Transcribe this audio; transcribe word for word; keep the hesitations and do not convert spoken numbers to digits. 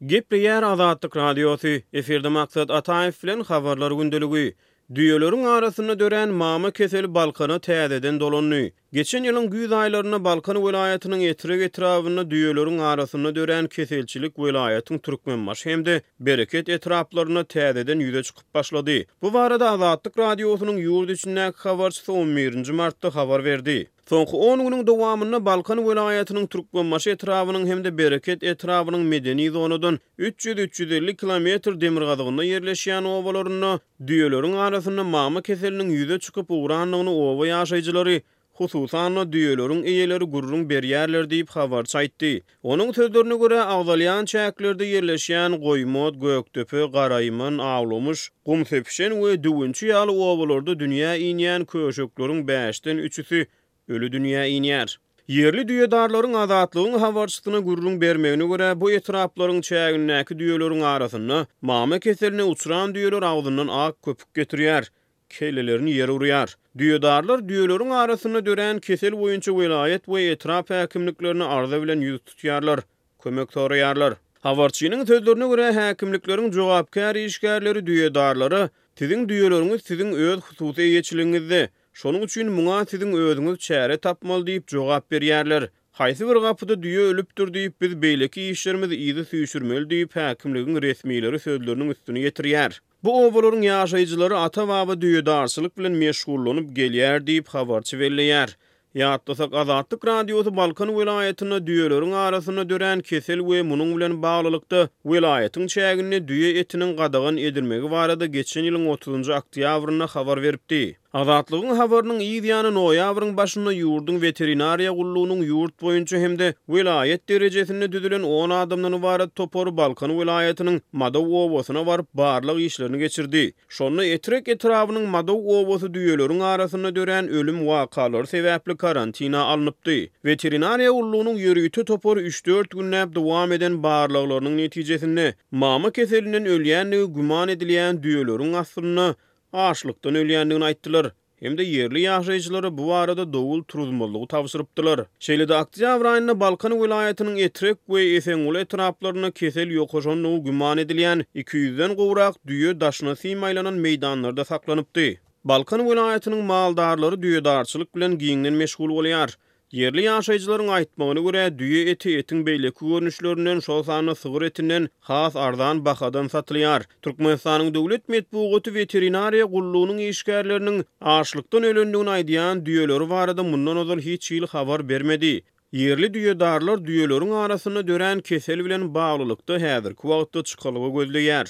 Gepleýär Azatlyk Radiosy, efirde Maksat Ataýew bilen Habarlar gündeligi. Düýeleriň arasynda dörän mama keseli Balkana täzeden dolandy. Geçen ýylyň güýz aýlarynda Balkan welaýatynyň Etrek etrabynda düýeleriň arasynda dörän keselçilik welaýatyň Türkmenbaşy hem-de Bereket etraplarynda täzeden ýüze çykyp başlady. Bu barada Azatlyk Radiosynyň ýurt içindäki habarçysy on birinji martda habar berdi. Soňky on günüň dowamynda Balkan welaýatynyň Türkmenbaşy etrabynyň hem-de Bereket etrabynyň medeni zonadan üç ýüz-üç ýüz elli kilometr demirgazygynda ýerleşýän obalarynda düýeleriň arasynda mama keseliniň ýüze çykyp ugrandygyny oba ýaşaýjylary, hususan-da düýeleriň eýeleri gürrüň berýärler diýip, habarçy aýtdy. Onuň sözlerine görä, agzalýan çäklerde ýerleşýän Goýmot, Gökdepe, Garaýman, Awlamyş, Gumsepişen we Düwünçi ýaly obalarda dünýä inýän köşekleriň bäşden üçüsi ölü dünýä inýär. Ýerli düýedarlaryň Azatlygyň habarçysyna gürrüň bermegine görä, bu etraplaryň çägindäki düýeleriň arasynda mama keseline uçran düýeler agzyndan ak köpük getirýär, kellelerini ýere urýar. Düýedarlar düýeleriň arasynda dörän kesel boýunça welaýat we etrap häkimliklerine arza bilen ýüz tutýarlar, kömek soraýarlar. Habarçynyň sözlerine görä, häkimlikleriň jogapkär işgärleri düýedarlara siziň düýeleriňiz siziň öz hususy eýeçiligiňizde, şonuň üçin muňa siziň özüňiz çäre tapmaly diýip jogap berýärler. Haýsy bir gapyda düýe ölüpdir diýip biz beýleki işlerimizi yzy süýşürmeli diýip häkimligiň resmileri sözleriniň üstüni ýetirýär. Bu obalaryň ýaşaýjylary ata-baba düýedarçylyk bilen meşgullanyp gelýär diýip habarçy belleýär. Ýatlasak, Azatlyk Radiosy Balkan welaýatynda düýeleriň arasynda dörän kesel we munuň bilen baglylykda welaýatyň çäginde düýe etiniň gadagan edilmegi barada geçen ýylyň otuzynjy oktýabrynda habar beripdi. Azatlygyň habarynyň yz ýany noýabryň başynda ýurduň weterinariýa gullugynyň ýurt boýunça hem-de welaýat derejesinde düzülen on adamdan ybarat topary Balkan welaýatynyň Madaw obasyna baryp barlag işlerini geçirdi. Şonda Etrek etrabynyň Madaw obasy düýeleriň arasynda dörän ölüm wakalary sebäpli karantina alnypdy. Weterinariýa gullugynyň ýörite topary üç-dört günläp dowam eden barlaglarynyň netijesinde mama keselinden ölýändigi güman edilýän düýeleriň aslynda açlykdan ölýändigini aýtdylar. Hem-de ýerli ýaşaýjylara bu barada dowul turuzmazlygy tabşyrypdylar. Şeýle-de oktýabr aýynda Balkan welaýatynyň Etrek we Esenguly etraplarynda kesel ýokaşandygy güman edilýän iki ýüzden gowrak düýe daşyna sim aýlanan meýdanlarda saklanypdy. Balkan welaýatynyň maldarlary düýedarçylyk bilen giňden meşgul bolýar. Ýerli ýaşaýjylaryň aýtmagyna görä, düýe eti etiň beýleki görnüşlerinden, şol sanda sygyr etinden has arzan bahadan satylýar. Türkmenistanyň döwlet metbugaty weterinariýa gullugynyň işgärleriniň açlykdan ölendigini aýdýan düýeleri barada mundan ozal hiç hili habar bermedi. Ýerli düýedarlar düýeleriň arasynda dörän kesel bilen baglylykda häzirki wagtda çykalga gözleýär.